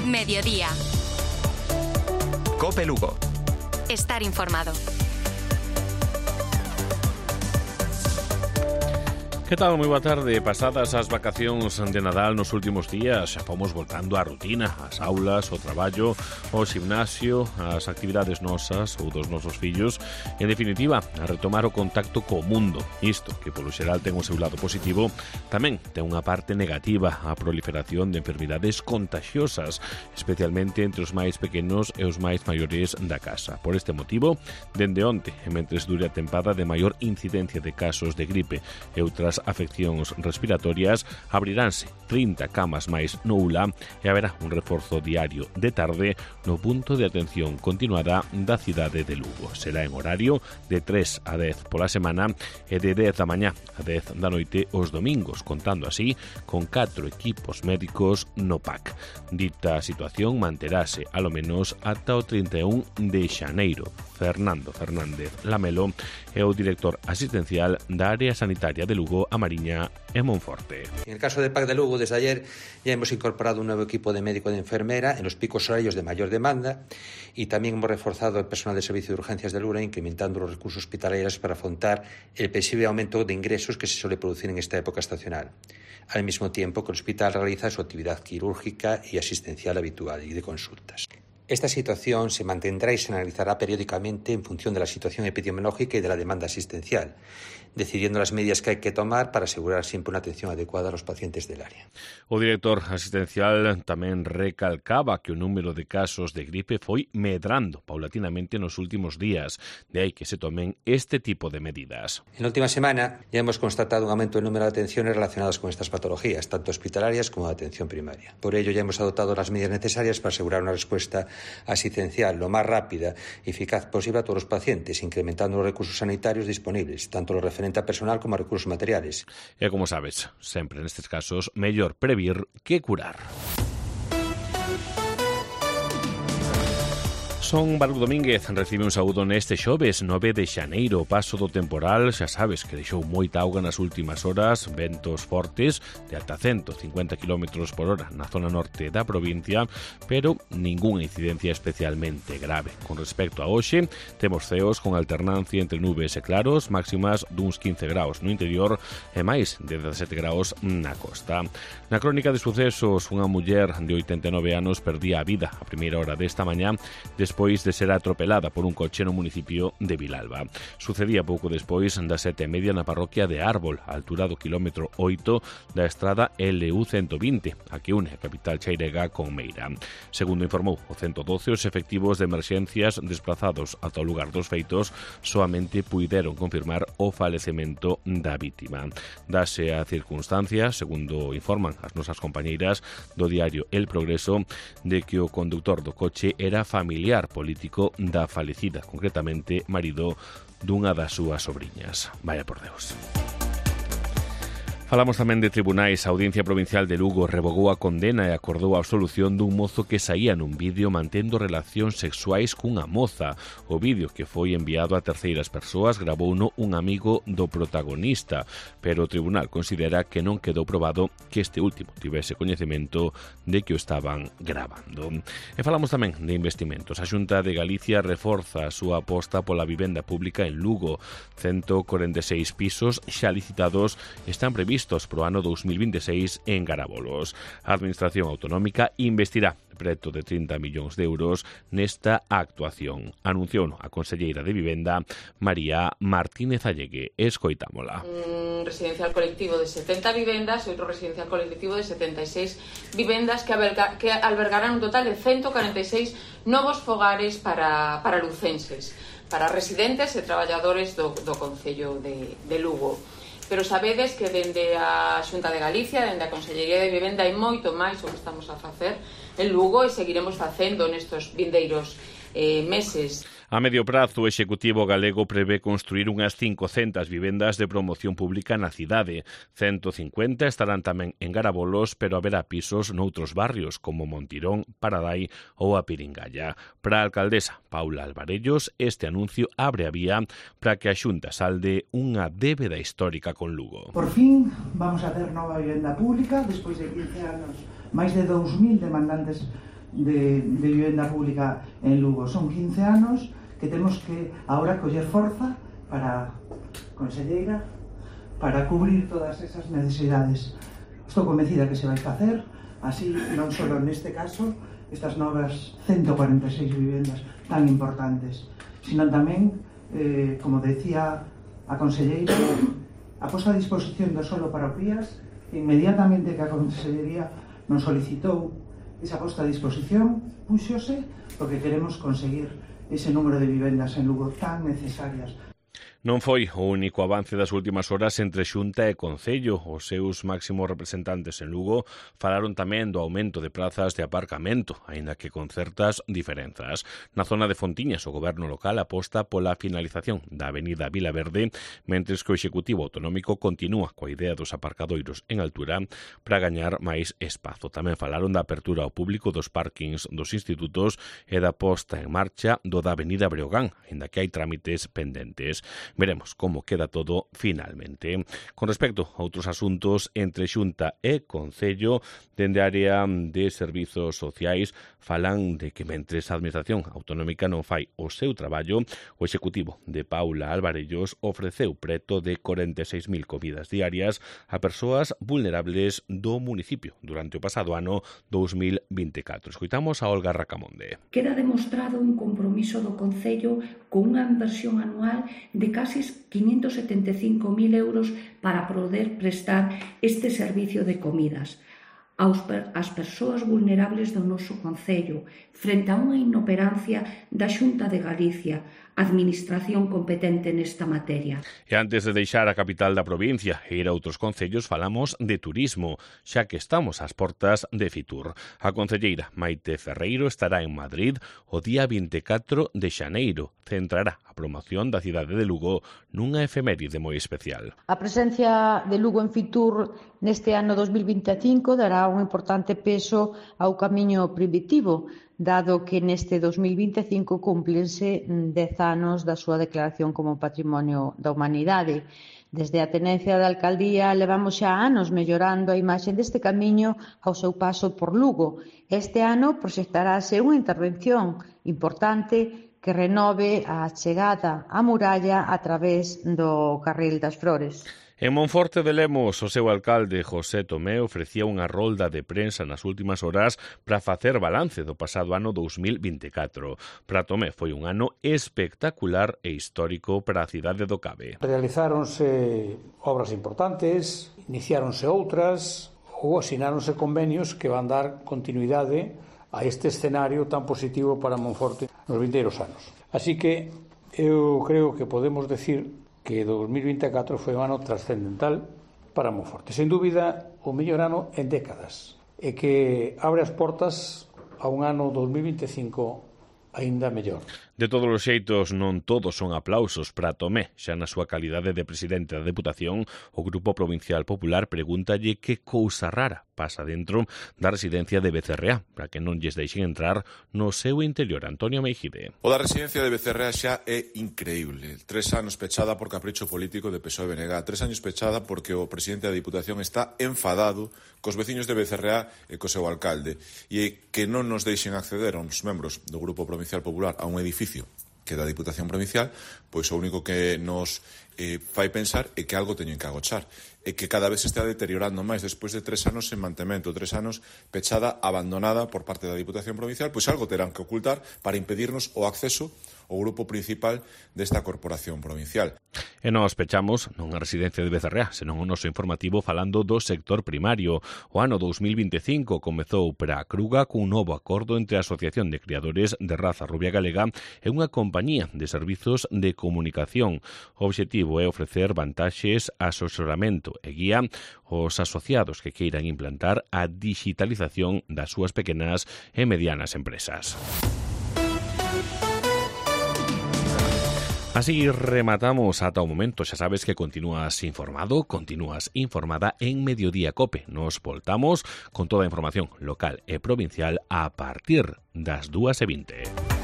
Mediodía. COPE Lugo. Estar informado. Que tal? Moi boa tarde. Pasadas as vacacións de Nadal nos últimos días, xa fomos voltando á rutina, ás aulas, ao traballo, ao gimnasio, ás actividades nosas ou dos nosos fillos. En definitiva, a retomar o contacto co mundo. Isto, que polo xeral ten o seu lado positivo, tamén ten unha parte negativa, a proliferación de enfermidades contagiosas, especialmente entre os máis pequenos e os máis maiores da casa. Por este motivo, dende onte, e mentres dure a tempada de maior incidencia de casos de gripe e outras afeccións respiratorias, abriránse 30 camas máis no ULA e haberá un reforzo diario de tarde no punto de atención continuada da cidade de Lugo. Será en horario de 3 a 10 pola semana e de 10 da mañá a 10 da noite os domingos, contando así con 4 equipos médicos no PAC. Dita situación manterase alo menos ata o 31 de xaneiro. Fernando Fernández Lamelo é o director asistencial da área sanitaria de Lugo, A Mariña e Monforte. En el caso del PAC de Lugo, desde ayer ya hemos incorporado un nuevo equipo de médico y de enfermera en los picos horarios de mayor demanda y también hemos reforzado el personal de servicio de urgencias del ULA, incrementando los recursos hospitalarios para afrontar el posible aumento de ingresos que se suele producir en esta época estacional, al mismo tiempo que el hospital realiza su actividad quirúrgica y asistencial habitual y de consultas. Esta situación se mantendrá y se analizará periódicamente en función de la situación epidemiológica y de la demanda asistencial, decidiendo las medidas que hay que tomar para asegurar siempre una atención adecuada a los pacientes del área. O director asistencial tamén recalcaba que o número de casos de gripe foi medrando paulatinamente nos últimos días, de aí que se tomen este tipo de medidas. En la última semana ya hemos constatado un aumento del número de atenciones relacionadas con estas patologías, tanto hospitalarias como de atención primaria. Por ello ya hemos adoptado las medidas necesarias para asegurar una respuesta asistencial lo más rápida y eficaz posible a todos los pacientes, incrementando los recursos sanitarios disponibles, tanto lo referente a personal como a recursos materiales. E como sabes, sempre nestes casos, mellor previr que curar. Son Baruch Domínguez, recibe un saúdo neste xoves 9 de xaneiro. O paso do temporal, xa sabes que deixou moita auga nas últimas horas, ventos fortes de ata 150 km por hora na zona norte da provincia, pero ningunha incidencia especialmente grave. Con respecto a hoxe, temos ceos con alternancia entre nubes e claros, máximas duns 15 graus no interior e máis de 17 graus na costa. Na crónica de sucesos, unha muller de 89 anos perdía a vida a primeira hora desta mañá despois de ser atropelada por un coche no municipio de Vilalba. Sucedía pouco despois das 7:30 na parroquia de Árbol, a altura do kilómetro 8 da estrada LU 120, a que une a capital chairega con Meira. Segundo informou o 112, os efectivos de emerxencias desplazados ata o lugar dos feitos soamente puideron confirmar o falecemento da vítima. Dase a circunstancia, segundo informan as nosas compañeiras do diario El Progreso, de que o conductor do coche era familiar político da falecida, concretamente marido dunha das súas sobriñas. Vaya por Deus. Falamos tamén de tribunais. A Audiencia Provincial de Lugo revogou a condena e acordou a absolución dun mozo que saía nun vídeo mantendo relacións sexuais cunha moza. O vídeo, que foi enviado a terceiras persoas, gravouno un amigo do protagonista, pero o tribunal considera que non quedou probado que este último tivese coñecemento de que o estaban gravando. E falamos tamén de investimentos. A Xunta de Galicia reforza a súa aposta pola vivenda pública en Lugo. 146 pisos xa licitados están previstos pro ano 2026 en Garabolos. A Administración Autonómica investirá preto de 30 millóns de euros nesta actuación. Anunciou a conselleira de Vivenda, María Martínez Allegue. Escoitámola. Un residencial colectivo de 70 vivendas e outro residencial colectivo de 76 vivendas que albergarán un total de 146 novos fogares para lucenses, para residentes e traballadores do Concello de Lugo. Pero sabedes que dende a Xunta de Galicia, dende a Consellería de Vivenda, hai moito máis o que estamos a facer en Lugo e seguiremos facendo nestos vindeiros meses. A medio prazo, o Executivo galego prevé construir unhas 500 vivendas de promoción pública na cidade. 150 estarán tamén en Garabolos, pero haberá pisos noutros barrios, como Montirón, Paradai ou a Piringalla. Para a alcaldesa Paula Alvarellos, este anuncio abre a vía para que a Xunta salde unha débeda histórica con Lugo. Por fin vamos a ter nova vivenda pública, despois de 15 anos, máis de 2.000 demandantes de vivenda pública en Lugo. Son 15 anos que temos que ahora coller forza para, conselleira, para cubrir todas esas necesidades. Estou convencida que se vai facer, así non só neste caso, estas novas 146 vivendas tan importantes, sino tamén, como decía a conselleira, a posta a disposición do solo para o PIAS, inmediatamente que a consellería nos solicitou esa posta a disposición, púxose porque queremos conseguir ese número de vivendas en Lugo tan necesarias. Non foi o único avance das últimas horas entre Xunta e Concello. Os seus máximos representantes en Lugo falaron tamén do aumento de plazas de aparcamento, aínda que con certas diferenzas. Na zona de Fontiñas, o goberno local aposta pola finalización da avenida Vilaverde, mentres que o Executivo Autonómico continúa coa idea dos aparcadoiros en altura para gañar máis espazo. Tamén falaron da apertura ao público dos parkings dos institutos e da posta en marcha do da avenida Breogán, aínda que hai trámites pendentes. Veremos como queda todo finalmente. Con respecto a outros asuntos entre Xunta e Concello, dende a área de servizos sociais, falan de que mentres a Administración Autonómica non fai o seu traballo, o Executivo de Paula Alvarellos ofreceu preto de 46.000 comidas diarias a persoas vulnerables do municipio durante o pasado ano 2024. Escoitamos a Olga Racamonde. Queda demostrado un compromiso do Concello con unha inversión anual de casi 575.000 euros para poder prestar este servicio de comidas ás persoas vulnerables do noso Concello, frente a unha inoperancia da Xunta de Galicia, administración competente nesta materia. E antes de deixar a capital da provincia e ir a outros concellos, falamos de turismo, xa que estamos ás portas de Fitur. A concelleira Maite Ferreiro estará en Madrid o día 24 de xaneiro. Centrará a promoción da cidade de Lugo nunha efeméride moi especial. A presencia de Lugo en Fitur neste ano 2025 dará un importante peso ao camiño primitivo, dado que neste 2025 cúmplense 10 anos da súa declaración como Patrimonio da Humanidade. Desde a tenencia da alcaldía levamos xa anos mellorando a imaxe deste camiño ao seu paso por Lugo. Este ano proxectarase unha intervención importante que renove a chegada á muralla a través do Carril das Flores. En Monforte de Lemos, o seu alcalde José Tomé ofrecía unha rolda de prensa nas últimas horas para facer balance do pasado ano 2024. Para Tomé foi un ano espectacular e histórico para a cidade do Cabe. Realizáronse obras importantes, iniciáronse outras ou asináronse convenios que van dar continuidade a este escenario tan positivo para Monforte nos vindeiros anos. Así que eu creo que podemos decir que 2024 foi un ano trascendental para Monforte. Sen dúbida, o mellor ano en décadas, e que abre as portas a un ano 2025 aínda mellor. De todos os xeitos, non todos son aplausos para Tomé. Xa na súa calidade de presidente da Deputación, o Grupo Provincial Popular pregúntalle que cousa rara pasa dentro da residencia de Becerreá, para que non lles deixen entrar no seu interior. Antonio Meijide. O da residencia de Becerreá xa é increíble. 3 anos pechada por capricho político de PSOE-BNG. 3 anos pechada porque o presidente da Diputación está enfadado cos veciños de Becerreá e co seu alcalde, e que non nos deixen acceder aos membros do Grupo Provincial Popular a un edificio que da Diputación Provincial, pois o único que nos fai pensar é que algo teñen que agochar, e que cada vez se está deteriorando máis despois de 3 anos en mantemento, 3 anos pechada, abandonada por parte da Diputación Provincial, pois algo terán que ocultar para impedirnos o acceso ao grupo principal desta corporación provincial. E nós pechamos non a residencia de Becerreá, senón o noso informativo falando do sector primario. O ano 2025 comezou para a Cruga cun novo acordo entre a Asociación de Criadores de Raza Rubia Galega e unha compañía de servizos de comunicación. O obxectivo é ofrecer vantaxes, asesoramento e guía aos asociados que queiran implantar a digitalización das súas pequenas e medianas empresas. Así rematamos ata o momento. Xa sabes que continúas informado, continúas informada en Mediodía Cope. Nos voltamos con toda a información local e provincial a partir das 2:20.